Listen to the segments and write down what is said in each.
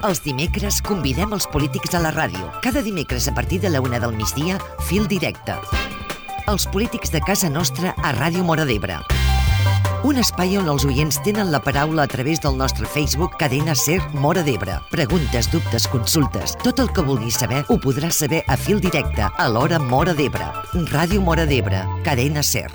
Els dimecres convidem els polítics a la ràdio. Cada dimecres a partir de la 1 del migdia, Fil Directe. Els polítics de casa nostra a Ràdio Móra d'Ebre. Un espai on els oients tenen la paraula a través del nostre Facebook Cadena Ser Móra d'Ebre. Preguntes, dubtes, consultes, tot el que vulguis saber ho podràs saber a Fil Directe, a l'hora Móra d'Ebre. Ràdio Móra d'Ebre, Cadena Ser.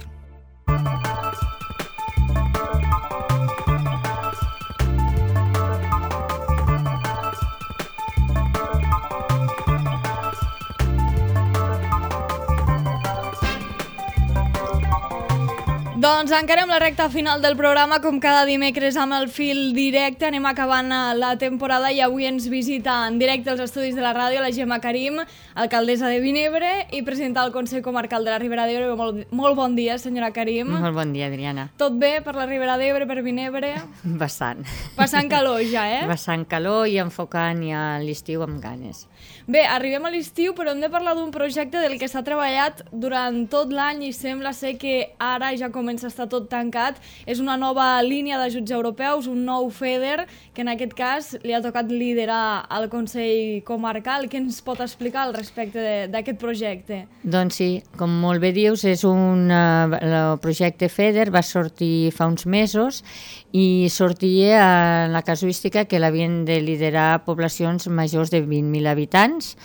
Doncs encarem la recta final del programa, com cada dimecres amb el Fil Directe. Anem acabant la temporada i avui ens visita en directe als estudis de la ràdio la Gemma Karim, alcaldessa de Vinebre i presidenta del Consell Comarcal de la Ribera d'Ebre. Molt bon dia, senyora Karim. Molt bon dia, Adriana. Tot bé per la Ribera d'Ebre, per Vinebre? Bastant. Passant calor ja, Passant calor i enfocant ja l'estiu amb ganes. Bé, arribem a l'estiu, però hem de parlar d'un projecte del que s'ha treballat durant tot l'any i sembla ser que ara ja comença a estar tot tancat. És una nova línia d'ajuts europeus, un nou FEDER, que en aquest cas li ha tocat liderar al Consell Comarcal. Què ens pot explicar al respecte d'aquest projecte? Doncs sí, com molt bé dius, el projecte FEDER va sortir fa uns mesos i sortia en la casuística que l'havien de liderar poblacions majors de 20.000 habitants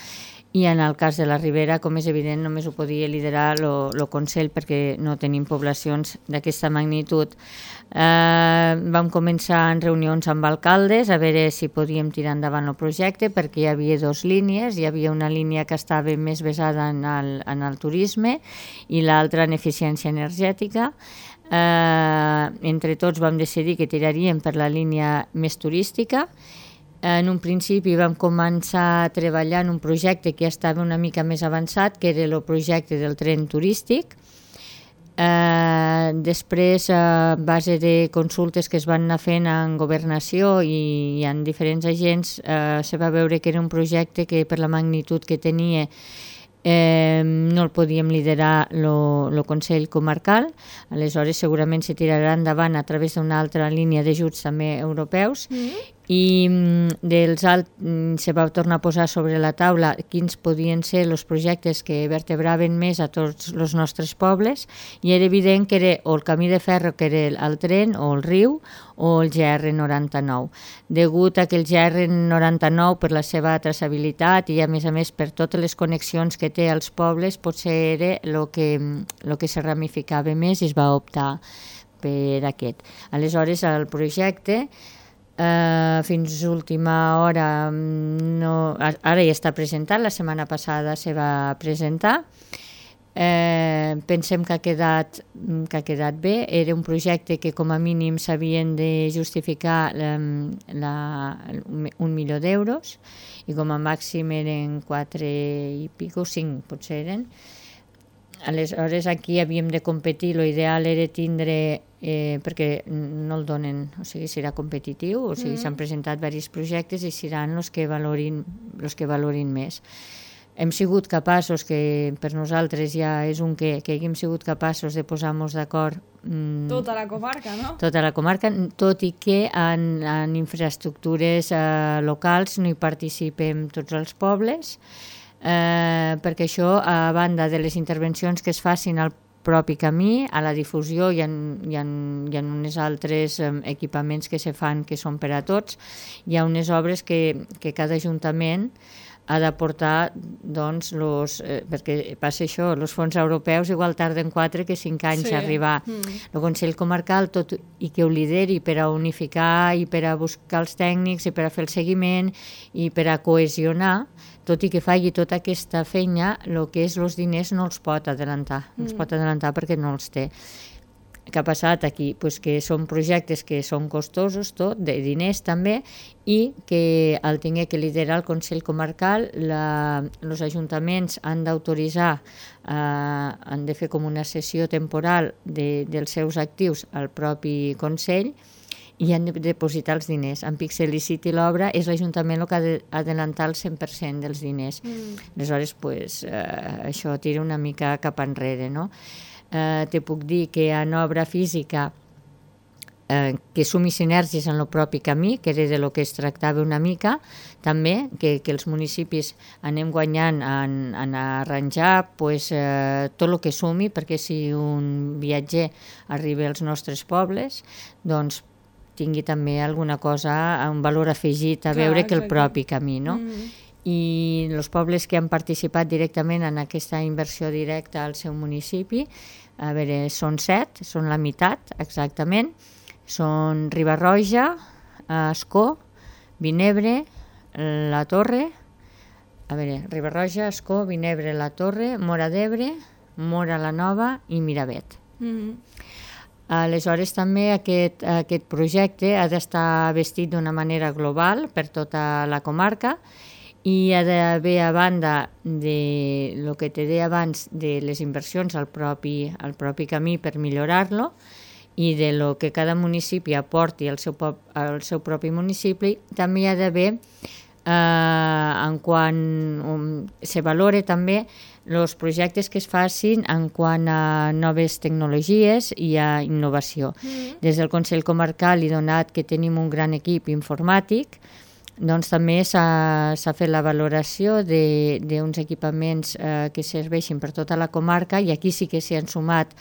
i en el cas de la Ribera, com és evident, només ho podia liderar el Consell perquè no tenim poblacions d'aquesta magnitud. Vam començar en reunions amb alcaldes a veure si podíem tirar endavant el projecte perquè hi havia dues línies. Hi havia una línia que estava més basada en el turisme i l'altra en eficiència energètica. Entre tots vam decidir que tiraríem per la línia més turística. En un principi vam començar a treballar en un projecte que ja estava una mica més avançat, que era el projecte del tren turístic. Després, a base de consultes que es van anar fent en governació i en diferents agents, se va veure que era un projecte que per la magnitud que tenia no el podíem liderar el Consell Comarcal. Aleshores segurament se tirarà endavant a través d'una altra línia d'ajuts també europeus i se va tornar a posar sobre la taula quins podien ser els projectes que vertebraven més a tots els nostres pobles i era evident que era o el camí de ferro, que era el tren, o el riu, o el GR99. Degut a que el GR99, per la seva traçabilitat i a més per totes les connexions que té als pobles, potser era el que se ramificava més i es va optar per aquest. Aleshores el projecte fins a última hora ara ja està presentat, la setmana passada se va presentar. Pensem que ha quedat bé. Era un projecte que com a mínim s'havien de justificar 1 milió d'euros i com a màxim eren 4 i pico, 5 potser eren. Aleshores aquí havíem de competir, l'ideal era tindre, perquè no el donen, o sigui, serà competitiu, o sigui, s'han presentat diversos projectes i seran els que valorin més. Hem sigut capaços, que per nosaltres ja és un que haguem sigut capaços de posar-nos d'acord tota la comarca, no? Tota la comarca, tot i que en infraestructures locals no hi participem tots els pobles, perquè això, a banda de les intervencions que es facin al propi camí, a la difusió hi ha uns altres equipaments que se fan que són per a tots. Hi ha unes obres que cada ajuntament ha d'aportar, doncs, perquè passa això, els fons europeus igual tarden 4 que 5 anys a arribar. El Consell Comarcal, tot i que ho lideri per a unificar i per a buscar els tècnics i per a fer el seguiment i per a cohesionar, tot i que faci tota aquesta feina, el que és els diners no els pot adelantar, no els pot adelantar perquè no els té. Què ha passat aquí? Pues que són projectes que són costosos, tot, de diners també, i que al tenir que liderar el Consell Comarcal, els ajuntaments han d'autoritzar, han de fer com una sessió temporal dels seus actius al propi Consell i han de depositar els diners. En Pixelicity l'obra és l'Ajuntament el que ha d'adelantar el 100% dels diners. Aleshores, això tira una mica cap enrere, no? Te puc dir que en obra física que sumi sinergies en el propi camí, que era de lo que es tractava una mica, també, que els municipis anem guanyant en arranjar tot el que sumi, perquè si un viatger arriba als nostres pobles, doncs tingui també alguna cosa, un valor afegit a veure que el propi camí, no? I els pobles que han participat directament en aquesta inversió directa al seu municipi, a veure, són 7, són la meitat exactament, són Riba-roja, Ascó, Vinebre, la Torre, a veure, Riba-roja, Ascó, Vinebre, la Torre, Móra d'Ebre, Móra la Nova i Miravet. Aleshores també aquest projecte ha d'estar vestit d'una manera global per tota la comarca i ha d'haver, a banda de lo que te deia abans de les inversions al propi camí per millorar-lo i de lo que cada municipi aporti al seu propi municipi, també hi ha d'haver, en quant se valore també els projectes que es facin en quant a noves tecnologies i a innovació. Des del Consell Comarcal, i donat que tenim un gran equip informàtic, doncs també s'ha fet la valoració d'uns equipaments que serveixin per tota la comarca, i aquí sí que s'hi han sumat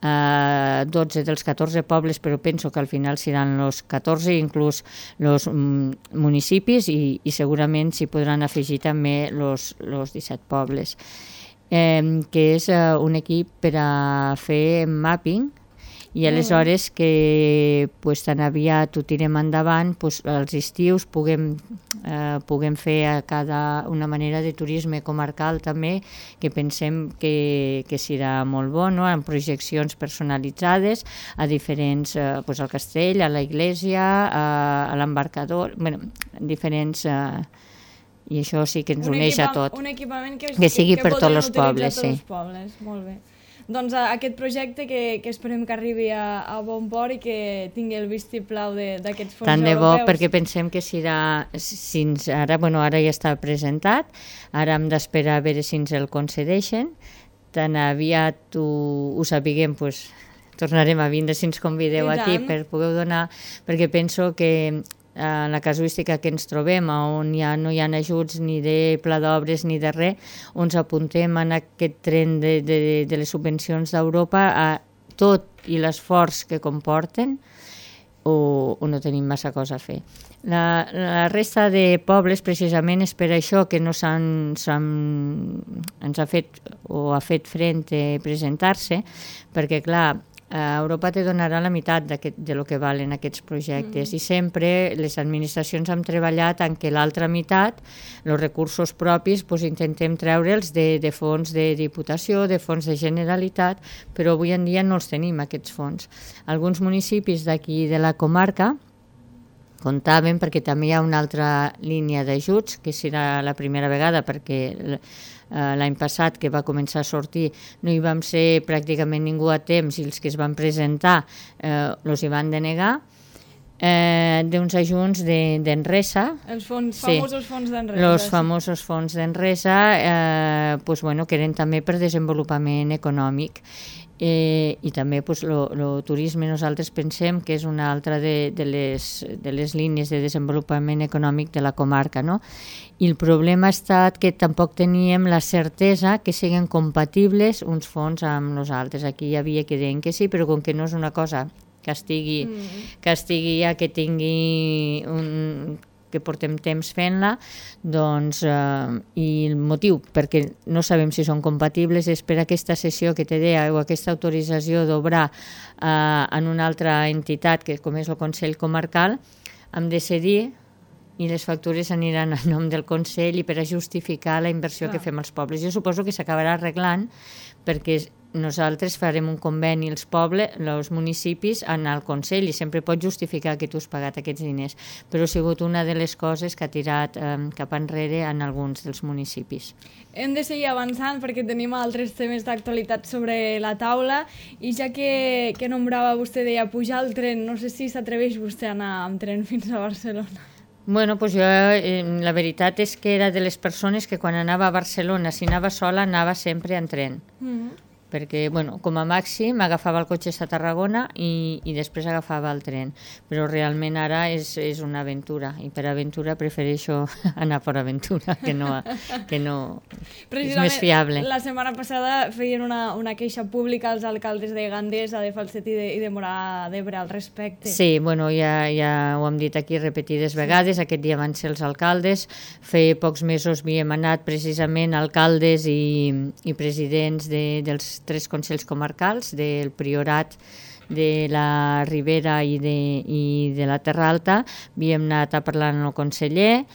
12 dels 14 pobles, però penso que al final seran els 14, inclús els municipis, i segurament s'hi podran afegir també els 17 pobles. Que és un equip per a fer mapping, i aleshores que tan aviat ho tirem endavant, als estius puguem fer una manera de turisme comarcal també, que pensem que serà molt bo, no? Amb projeccions personalitzades a diferents, al castell, a la iglesia, a l'embarcador, diferents... I això sí que ens uneix a tot. Un equipament que sigui per tots els pobles, sí. Molt bé. Doncs aquest projecte que esperem que arribi a bon port i que tingui el vistiplau d'aquests fons europeus. Tant de bo, perquè pensem que serà, ara ja està presentat, ara hem d'esperar a veure si ens el concedeixen, tan aviat ho sapiguem, tornarem a vindre si ens convideu aquí per poder donar, perquè penso que la casuística que ens trobem, on no hi ha ajuts ni de pla d'obres ni de res, on ens apuntem en aquest tren de les subvencions d'Europa, a tot i l'esforç que comporten, o no tenim massa cosa a fer. La resta de pobles, precisament, és per això que no ens ha fet o ha fet front a presentar-se, perquè, clar, Europa te donarà la meitat de lo que valen aquests projectes, i sempre les administracions han treballat en què l'altra meitat, els recursos propis, intentem treure'ls de fons de Diputació, de fons de Generalitat, però avui en dia no els tenim, aquests fons. Alguns municipis d'aquí de la comarca comptaven, perquè també hi ha una altra línia d'ajuts, que serà la primera vegada, perquè l'any passat que va començar a sortir no hi vam ser pràcticament ningú a temps, i els que es van presentar els hi van denegar, d'uns ajuts d'Enresa. Els famosos fons d'Enresa. Els famosos fons d'Enresa, que eren també per desenvolupament econòmic. I també el turisme, nosaltres pensem que és una altra de les línies de desenvolupament econòmic de la comarca, no? I el problema ha estat que tampoc teníem la certesa que siguin compatibles uns fons amb els altres. Aquí hi havia que deien que sí, però com que no és una cosa que estigui ja, que tingui que portem temps fent-la, doncs, i el motiu perquè no sabem si són compatibles és per aquesta sessió que te deia, o aquesta autorització d'obrar en una altra entitat, que com és el Consell Comarcal, hem de cedir i les factures aniran a nom del Consell i per a justificar la inversió que fem als pobles. Jo suposo que s'acabarà arreglant, perquè nosaltres farem un conveni els municipis en el Consell, i sempre pots justificar que tu has pagat aquests diners, però ha sigut una de les coses que ha tirat cap enrere en alguns dels municipis. Hem de seguir avançant perquè tenim altres temes d'actualitat sobre la taula, i ja que nombrava vostè, deia pujar al tren, no sé si s'atreveix vostè a anar amb tren fins a Barcelona. Bueno, jo la veritat és que era de les persones que quan anava a Barcelona, si anava sola, anava sempre en tren. perquè com a màxim agafava el cotxe a Tarragona i després agafava el tren, però realment ara és una aventura, i per aventura prefereixo anar per aventura, que no és més fiable. La setmana passada feien una queixa pública als alcaldes de Gandesa, de Falset i de Móra d'Ebre al respecte. Sí, ja ho hem dit aquí repetides vegades, aquest dia van ser els alcaldes, feia pocs mesos havíem anat precisament alcaldes i presidents dels 3 consells comarcals, del Priorat, de la Ribera i de la Terra Alta. Havíem anat a parlar amb el conseller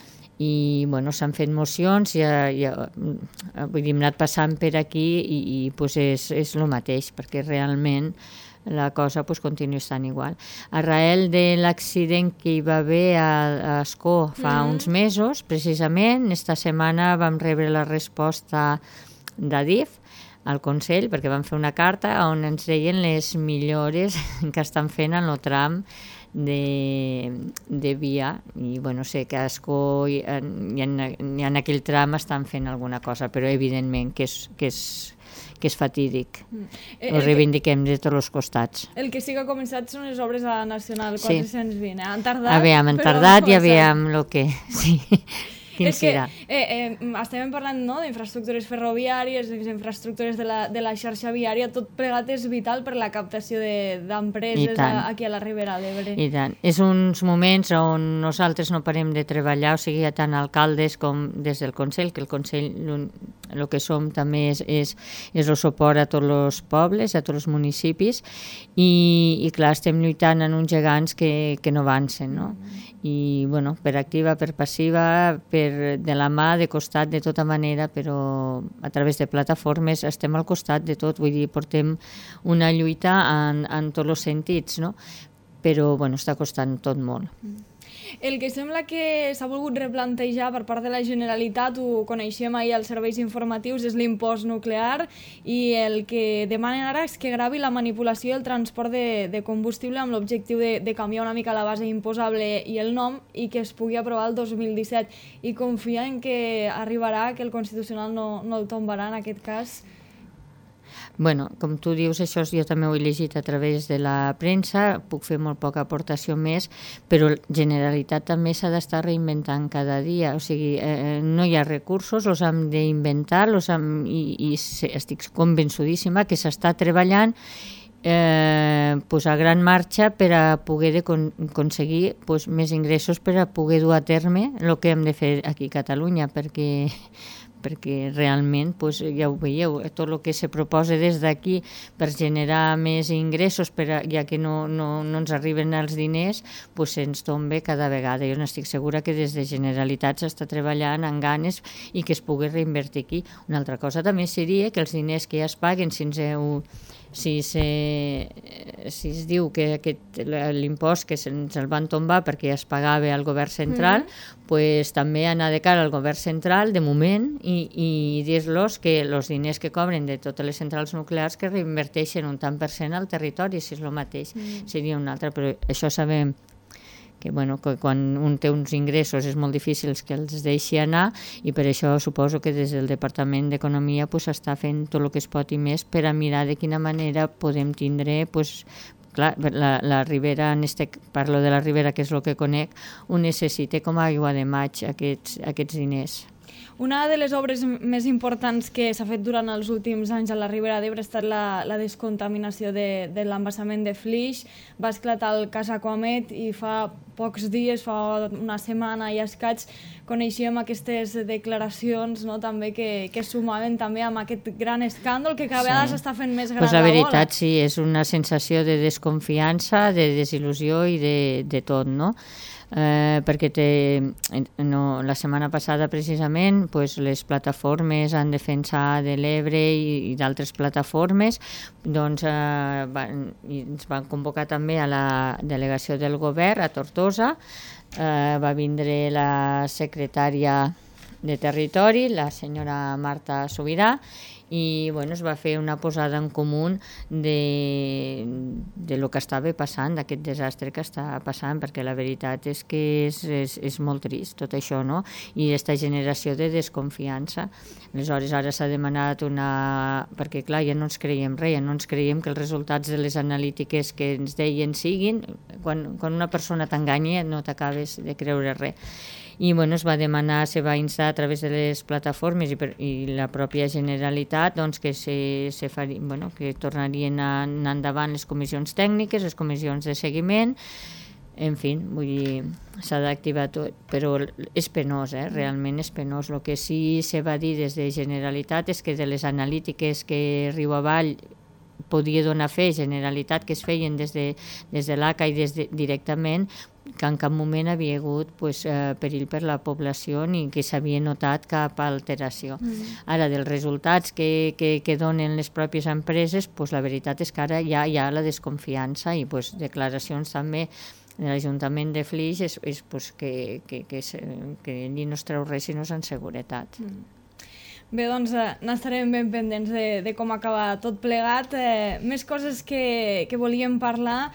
i s'han fet mocions, vull dir, hem anat passant per aquí i és el mateix, perquè realment la cosa continua estant igual. Arrel de l'accident que hi va haver a Ascó fa uns mesos, precisament, esta setmana vam rebre la resposta d'Adif al Consell, perquè van fer una carta on ens deien les millores que estan fent en el tram de via, i sé que a Ascó i en aquell tram estan fent alguna cosa, però evidentment que és fatídic. Ho reivindiquem de tots els costats. El que sí que ha començat són les obres a la Nacional 420. Han tardat, han tardat i aviam el que... Sí. És que estem parlant d'infraestructures ferroviàries, d'infraestructures de la xarxa viària, tot plegat és vital per la captació d'empreses aquí a la Ribera d'Ebre. I tant. És uns moments on nosaltres no parem de treballar, o sigui, tant alcaldes com des del Consell, que el Consell el que som també és el suport a tots els pobles, a tots els municipis, i clar, estem lluitant en uns gegants que no avancen, no? I per activa, per passiva, de la mà, de costat, de tota manera, però a través de plataformes estem al costat de tot, vull dir, portem una lluita en tots els sentits, no? Però està costant tot molt. El que sembla que s'ha volgut replantejar per part de la Generalitat, ho coneixem ahir als serveis informatius, és l'impost nuclear, i el que demanen ara és que gravi la manipulació i el transport de combustible amb l'objectiu de canviar una mica la base imposable i el nom, i que es pugui aprovar el 2017. I confia en que arribarà, que el Constitucional no el tombarà en aquest cas. Com tu dius, això jo també ho he llegit a través de la premsa, puc fer molt poca aportació més, però la Generalitat també s'ha d'estar reinventant cada dia, o sigui, no hi ha recursos, els hem d'inventar, i estic convençudíssima que s'està treballant a gran marxa per a poder aconseguir més ingressos, per a poder dur a terme el que hem de fer aquí a Catalunya, perquè realment, ja ho veieu, tot el que se proposa des d'aquí per generar més ingressos, ja que no ens arriben els diners, se'ns tomba cada vegada. Jo n'estic segura que des de Generalitat s'està treballant amb ganes i que es pugui reinvertir aquí. Una altra cosa també seria que els diners que ja es paguen, si es diu que l'impost que se'ns el van tombar perquè es pagava al govern central, també anar de cara al govern central de moment i dir-los que els diners que cobren de totes les centrals nuclears que reinverteixen un tant per cent al territori, si és el mateix, seria un altre, però això sabem que quan un té uns ingressos és molt difícil que els deixi anar, i per això suposo que des del Departament d'Economia s'està fent tot el que es pot i més per a mirar de quina manera podem tindre, clar, la Ribera, parlo de la Ribera, que és el que conec, ho necessita com a aigua de maig, aquests diners. Una de les obres més importants que s'ha fet durant els últims anys a la Ribera d'Ebre ha estat la descontaminació de l'embassament de Flix. Va esclatar el cas Aquamed i fa pocs dies, fa una setmana i escaig, coneixíem aquestes declaracions també que sumaven també amb aquest gran escàndol que cada vegada s'està fent més gran la veritat, sí, és una sensació de desconfiança, de desil·lusió i de tot, no? Perquè la setmana passada precisament les plataformes en defensa de l'Ebre i d'altres plataformes ens van convocar també a la delegació del govern a Tortosa, va vindre la secretària de Territori, la senyora Marta Sobirà, i bueno, es va fer una posada en comú de lo que estava passant, d'aquest desastre que està passant, perquè la veritat és que és molt trist tot això, no? I aquesta generació de desconfiança. Aleshores ara s'ha demanat perquè clar, ja no ens creiem res, ja no ens creiem que els resultats de les analítiques que ens deien siguin, quan una persona t'enganya no t'acabes de creure res. I bueno, es va demanar, se va instar a través de les plataformes i la pròpia Generalitat doncs, que que tornarien a anar endavant les comissions tècniques, les comissions de seguiment, en fi, vull dir, s'ha d'activar tot, però és penós, realment és penós. El que sí se va dir des de Generalitat és que de les analítiques que riu avall podia donar fe, Generalitat, que es feien des de l'ACA i directament, que en cap moment havia hagut perill per la població ni que s'havia notat cap alteració. Ara, dels resultats que donen les pròpies empreses, la veritat és que ara ja hi ha la desconfiança i declaracions també de l'Ajuntament de Flix és que allí no es treu res si no és en seguretat. Bé, doncs n'estarem ben pendents de com acaba tot plegat. Més coses que volíem parlar.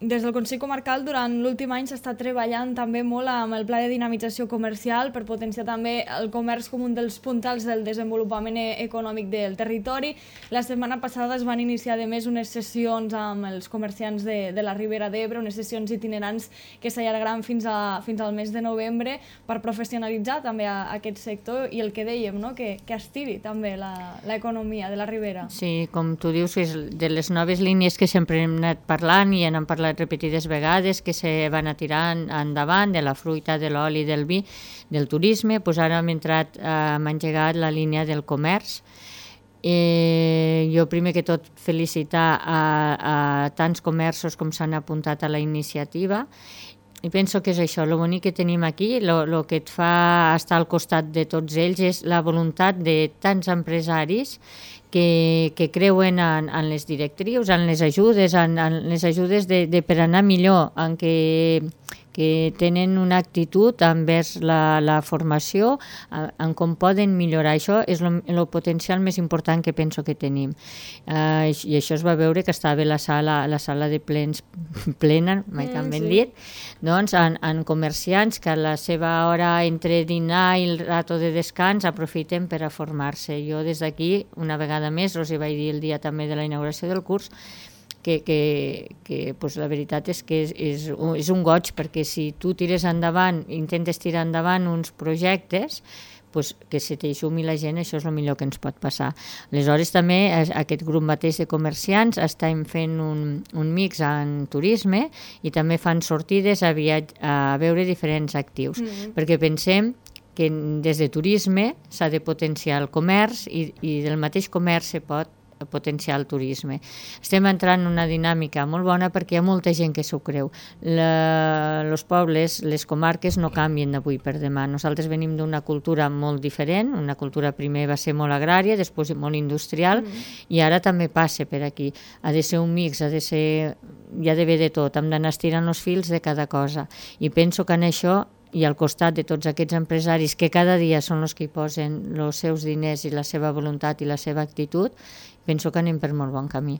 Des del Consell Comarcal durant l'últim any s'està treballant també molt amb el pla de dinamització comercial per potenciar també el comerç com un dels puntals del desenvolupament econòmic del territori. La setmana passada es van iniciar a més unes sessions amb els comerciants de la Ribera d'Ebre, unes sessions itinerants que s'allargaran fins al mes de novembre per professionalitzar també aquest sector i el que dèiem, no? que estiri també l'economia de la Ribera. Sí, com tu dius, és de les noves línies que sempre hem anat parlant i n'hem parlat repetides vegades que se van a tirar endavant, de la fruita, de l'oli, del vi, del turisme. Ara hem engegat la línia del comerç. Jo primer que tot felicitar a tants comerços com s'han apuntat a la iniciativa i penso que és això, el bonic que tenim aquí, el que et fa estar al costat de tots ells és la voluntat de tants empresaris que creuen en les directrius, en les ajudes, per anar millor, en que tenen una actitud envers la formació, en com poden millorar. Això és el potencial més important que penso que tenim. I això es va veure que estava la sala de plens plena, mai tan ben dit, doncs en comerciants que a la seva hora entre dinar i el rato de descans aprofiten per a formar-se. Jo des d'aquí, una vegada més, us hi vaig dir el dia també de la inauguració del curs, que la veritat és que és un goig, perquè si tu tires endavant, intentes tirar endavant uns projectes, que se t'eixumi la gent, això és el millor que ens pot passar. Aleshores també aquest grup mateix de comerciants estem fent un mix en turisme i també fan sortides a veure diferents actius, perquè pensem que des de turisme s'ha de potenciar el comerç i del mateix comerç se pot potenciar el turisme. Estem entrant en una dinàmica molt bona perquè hi ha molta gent que s'ho creu. Els pobles, les comarques no canvien d'avui per demà. Nosaltres venim d'una cultura molt diferent, una cultura primer va ser molt agrària, després molt industrial, i ara també passa per aquí. Ha de ser un mix, hi ha d'haver de tot, hem d'anar estirant els fils de cada cosa. I penso que en això i al costat de tots aquests empresaris que cada dia són els que hi posen els seus diners i la seva voluntat i la seva actitud, penso que anem per molt bon camí.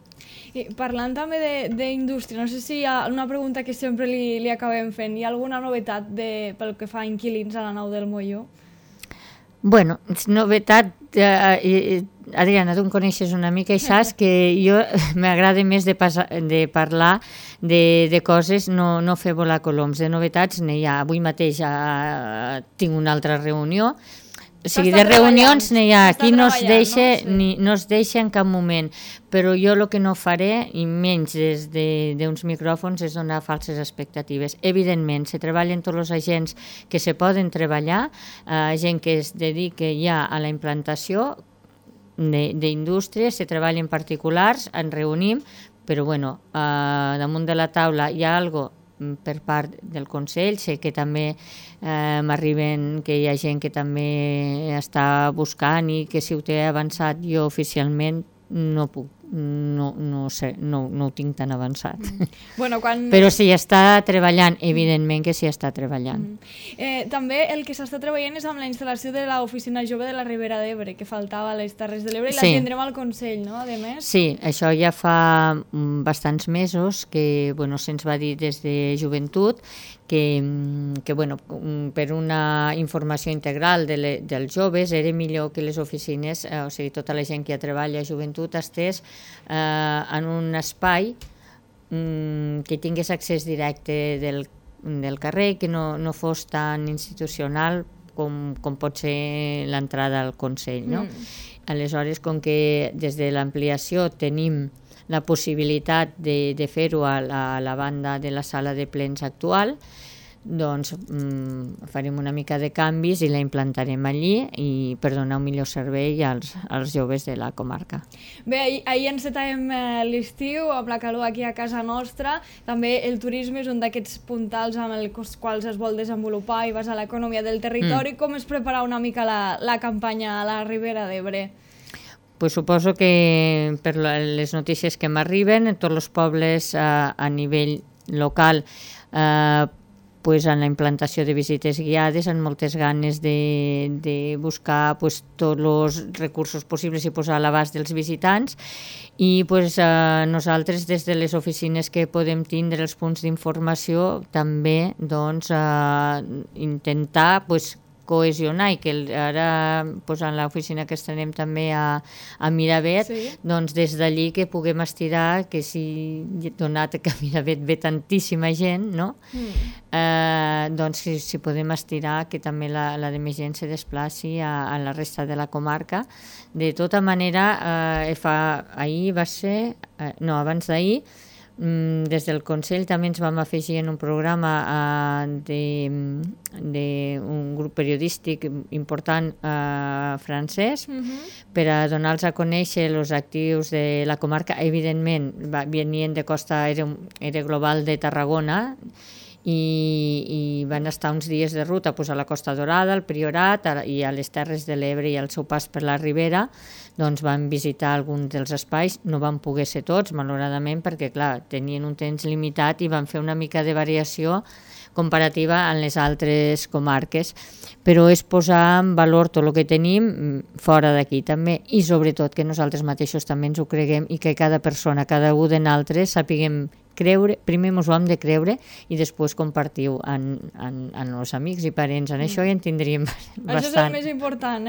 I parlant també d'indústria, no sé si hi ha una pregunta que sempre li acabem fent. Hi ha alguna novetat pel que fa a inquilins a la nau del Molló? Bueno, novetat, Adriana, tu em coneixes una mica i saps que jo m'agrada més de parlar de coses, no fer volar coloms. De novetats n'hi ha. Avui mateix tinc una altra reunió. O sigui, de reunions n'hi ha. Aquí no es deixa en cap moment. Però jo el que no faré, i menys des d'uns micròfons, és donar falses expectatives. Evidentment, se treballen tots els agents que se poden treballar, gent que es dedica ja a la implantació d'indústries, se treballen particulars, ens reunim, però bueno, damunt de la taula hi ha alguna cosa per part del Consell. Sé que també m'arriben que hi ha gent que també està buscant i que si ho té avançat jo oficialment no puc no sé, no ho tinc tan avançat. Bueno, Però s'hi està treballant, evidentment que s'hi està treballant. També el que s'està treballant és amb la instal·lació de l'Oficina Jove de la Ribera d'Ebre, que faltava a les Terres de l'Ebre, i la tindrem al Consell, no?, a més. Sí, això ja fa bastants mesos que se'ns va dir des de Joventut que per una informació integral dels joves era millor que les oficines, o sigui, tota la gent que treballa a Joventut estés en un espai que tingués accés directe del carrer, que no fos tan institucional com pot ser l'entrada al Consell, no? Aleshores, com que des de l'ampliació tenim la possibilitat de fer-ho a la banda de la sala de plens actual, doncs farem una mica de canvis i la implantarem allí per donar un millor servei als joves de la comarca. Bé, ahir encetàvem l'estiu amb la calor aquí a casa nostra. També el turisme és un d'aquests puntals amb els quals es vol desenvolupar i basar l'economia del territori. Com es prepara una mica la campanya a la Ribera d'Ebre? Pues suposo que per les notícies que m'arriben, en tots els pobles a nivell local pues, en la implantació de visites guiades, amb moltes ganes de buscar pues, tots els recursos possibles i posar a l'abast dels visitants. I pues, nosaltres, des de les oficines que podem tindre, els punts d'informació, també doncs, intentar pues, cohesionar i que ara pues, en l'oficina que estrenem també a Miravet, doncs des d'allí que puguem estirar, que si donat que a Miravet ve tantíssima gent, no? Doncs si podem estirar que també la de més gent se desplaci a la resta de la comarca. De tota manera, ahir va ser, abans d'ahir, des del Consell també ens vam afegir en un programa d'un grup periodístic important francès per a donar-los a conèixer els actius de la comarca. Evidentment venien de Costa Era Global de Tarragona i van estar uns dies de ruta a la Costa Dorada, al Priorat i a les Terres de l'Ebre i al seu pas per la Ribera. Doncs van visitar alguns dels espais, no van poder ser tots, malauradament, perquè clar, tenien un temps limitat i van fer una mica de variació comparativa en les altres comarques, però és posar en valor tot el que tenim fora d'aquí també, i sobretot que nosaltres mateixos també ens ho creguem i que cada persona, cada un de nosaltres sapiguem creure, primer ens ho hem de creure i després compartir-ho amb els amics i parents. En això ja en tindríem bastant. Això és el més important,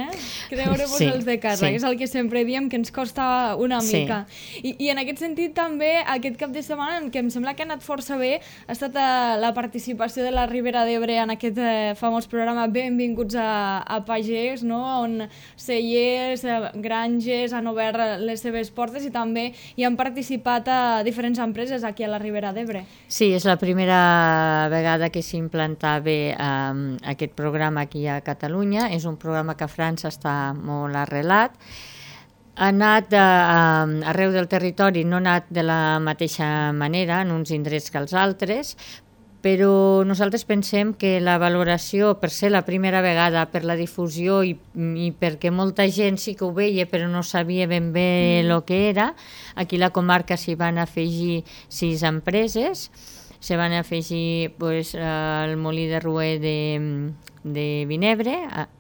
creure-vos els de casa, que és el que sempre diem, que ens costa una mica. I en aquest sentit també, aquest cap de setmana, que em sembla que ha anat força bé, ha estat la participació de la Ribera d'Ebre en aquest famós programa Benvinguts a Pagès, no? On cellers, granges han obert les seves portes i també hi han participat diferents empreses aquí a la Ribera d'Ebre. Sí, és la primera vegada que s'implantava aquest programa aquí a Catalunya. És un programa que a França està molt arrelat. Ha anat arreu del territori, no ha anat de la mateixa manera en uns indrets que els altres, però nosaltres pensem que la valoració, per ser la primera vegada, per la difusió i perquè molta gent sí que ho veia però no sabia ben bé el que era, aquí a la comarca s'hi van afegir 6 empreses, s'hi van afegir el molí de Ruer de Vinebre,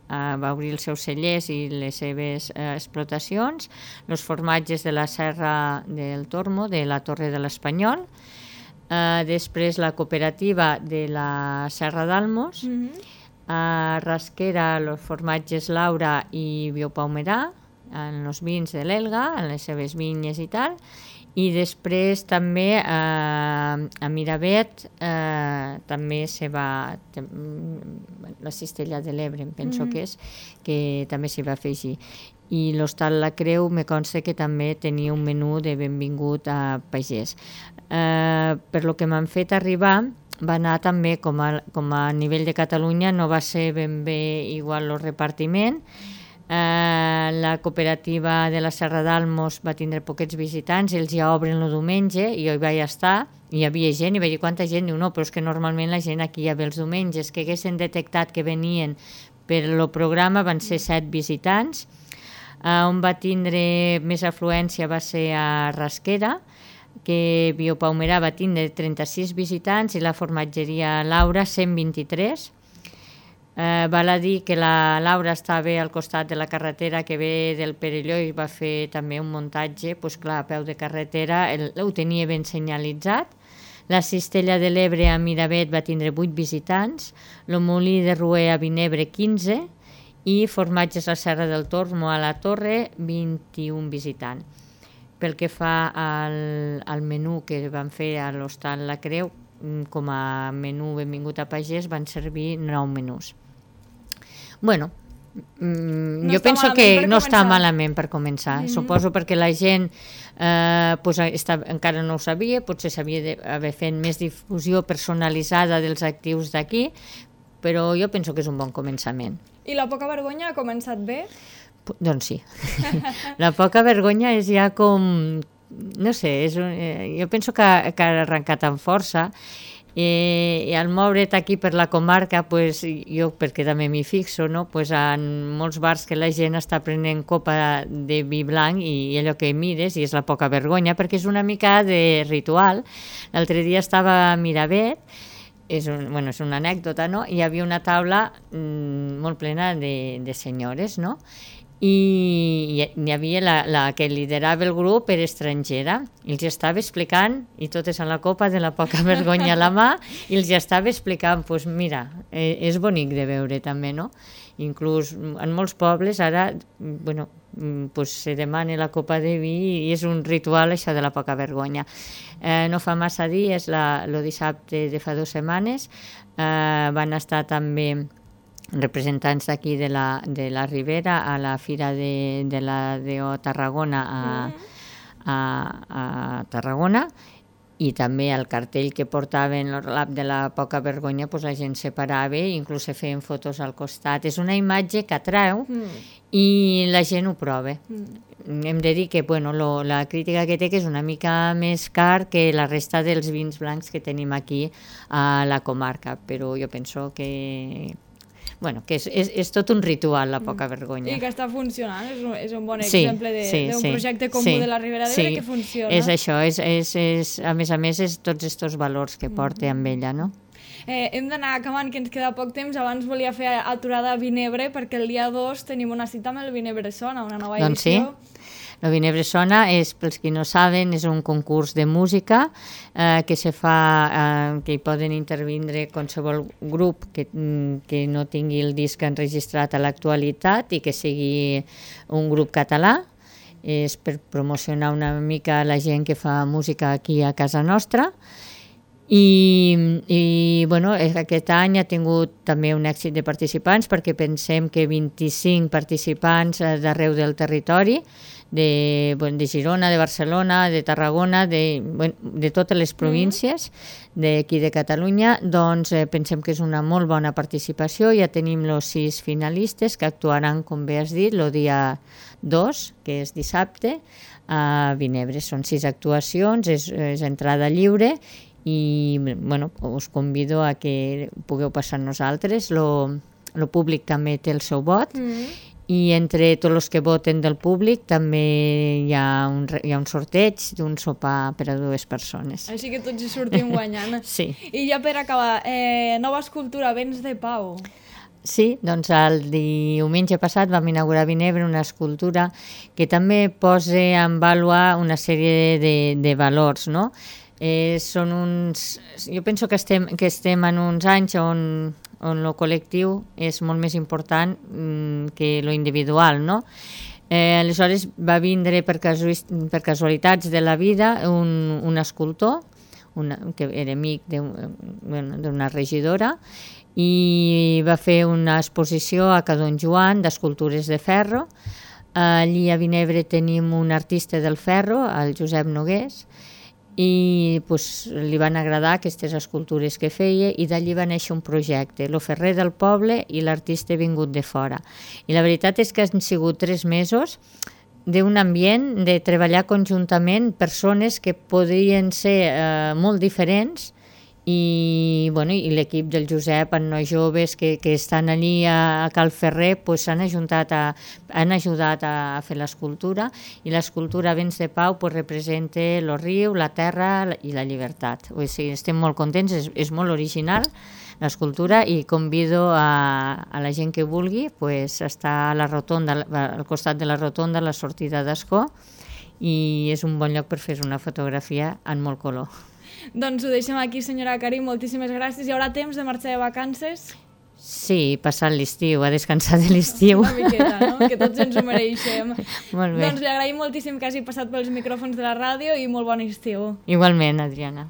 va obrir els seus cellers i les seves explotacions, els formatges de la Serra del Tormo, de la Torre de l'Espanyol, després la cooperativa de la Serra d'Almos, a Rasquera els formatges Laura i Biopaumerà, en els vins de l'Elga, en les seves vinyes i tal, i després també a Miravet també se va la Cistella de l'Ebre, em penso que és, que també s'hi va afegir. I l'Hostal La Creu me consta que també tenia un menú de benvingut a pagès. Per lo que m'han fet arribar, va anar també com a nivell de Catalunya, no va ser ben bé igual el repartiment. La cooperativa de la Serra d'Almos va tindre poquets visitants, ells ja obren el diumenge i jo hi vaig estar, hi havia gent, i vaig dir quanta gent, diu no, però és que normalment la gent aquí ja ve els diumenges, que haguessin detectat que venien per el programa van ser 7 visitants. On va tindre més afluència va ser a Rasquera, que Biopaumerà va tindre 36 visitants i la formatgeria Laura 123. Val a dir que la Laura estava al costat de la carretera que ve del Perelló i va fer també un muntatge, doncs clar, a peu de carretera, ho tenia ben senyalitzat. La Cistella de l'Ebre a Miravet va tindre 8 visitants, el Molí de Roer a Vinebre 15 i Formatges a Serra del Tormo a la Torre 21 visitants. Pel que fa al menú que van fer a l'Hostal La Creu, com a menú benvingut a pagès, van servir 9 menús. Bueno, jo penso que no està malament per començar. Suposo perquè la gent encara no ho sabia, potser s'havia d'haver fet més difusió personalitzada dels actius d'aquí, però jo penso que és un bon començament. I la poca vergonya ha començat bé? Doncs sí. La poca vergonya és ja com... No sé, jo penso que ha arrencat amb força. I al moure't aquí per la comarca, pues, jo perquè també m'hi fixo, no? Pues, en molts bars que la gent està prenent copa de vi blanc i allò que mires i és la poca vergonya, perquè és una mica de ritual. L'altre dia estava a Miravet, és una anècdota, no? Hi havia una taula molt plena de senyores, no? I hi havia la que liderava el grup era estrangera i els estava explicant, i totes a la copa de la poca vergonya a la mà, i els estava explicant, doncs mira, és bonic de veure també, no? Inclús en molts pobles ara se demana la copa de vi i és un ritual això de la poca vergonya. No fa massa dies, el dissabte de fa 2 setmanes, van estar també representants d'aquí de la Ribera a la Fira de la DO Tarragona a Tarragona, i també el cartell que portaven el relat de la poca vergonya, doncs la gent se parava i inclús se feien fotos al costat. És una imatge que atreu i la gent ho prova. Hem de dir que la crítica que té que és una mica més car que la resta dels vins blancs que tenim aquí a la comarca, però jo penso que és tot un ritual, la poca vergonya. I que està funcionant, és un bon exemple d'un projecte comú de la Ribera d'Ebre que funciona. És això, a més és tots aquests valors que porta amb ella, no? Hem d'anar acabant, que ens queda poc temps. Abans volia fer aturada a Vinebre, perquè el dia 2 tenim una cita amb el Vinebre Sona, una nova edició. Doncs sí. El Vinebre Sona pels qui no saben, és un concurs de música que se fa, que hi poden intervindre qualsevol grup que no tingui el disc enregistrat a l'actualitat i que sigui un grup català. És per promocionar una mica la gent que fa música aquí a casa nostra. I aquest any ha tingut també un èxit de participants, perquè pensem que 25 participants d'arreu del territori, de Girona, de Barcelona, de Tarragona, de totes les províncies d'aquí de Catalunya, doncs pensem que és una molt bona participació. Ja tenim els 6 finalistes que actuaran, com bé has dit, el dia 2, que és dissabte, a Vinebre. Són 6 actuacions, és entrada lliure, i us convido a que pugueu passar amb nosaltres. El públic també té el seu vot, i entre tots els que voten del públic també hi ha un sorteig d'un sopar per a 2 persones. Així que tots hi sortim guanyant. Sí. I ja per acabar, nova escultura, Vents de Pau. Sí, doncs el diumenge passat vam inaugurar a Vinebre una escultura que també posa en vàlua una sèrie de valors, no? Jo penso que estem en uns anys on el col·lectiu és molt més important que lo individual, no? Aleshores va vindre per casualitats de la vida un escultor que era amic d'una regidora, i va fer una exposició a Ca Don Joan d'escultures de ferro. Allí a Vinebre tenim un artista del ferro, el Josep Nogués, i li van agradar aquestes escultures que feia, i d'allí va néixer un projecte, el ferrer del poble i l'artista vingut de fora. I la veritat és que han sigut 3 mesos d'un ambient de treballar conjuntament persones que podrien ser molt diferents i l'equip del Josep, en nois joves que estan allí a Cal Ferrer, pues, han ajudat a fer l'escultura, i l'escultura Vents de Pau pues, representa el riu, la terra i la llibertat. O sigui, estem molt contents, és molt original l'escultura, i convido a la gent que vulgui pues, està a la rotonda, al costat de la rotonda, a la sortida d'Ascó, i és un bon lloc per fer una fotografia en molt color. Doncs ho deixem aquí, senyora Karim, moltíssimes gràcies. Hi haurà temps de marxar de vacances? Sí, passar l'estiu, a descansar de l'estiu. Una miqueta, no? Que tots ens ho mereixem. Molt bé. Doncs li agraïm moltíssim que hagi passat pels micròfons de la ràdio i molt bon estiu. Igualment, Adriana.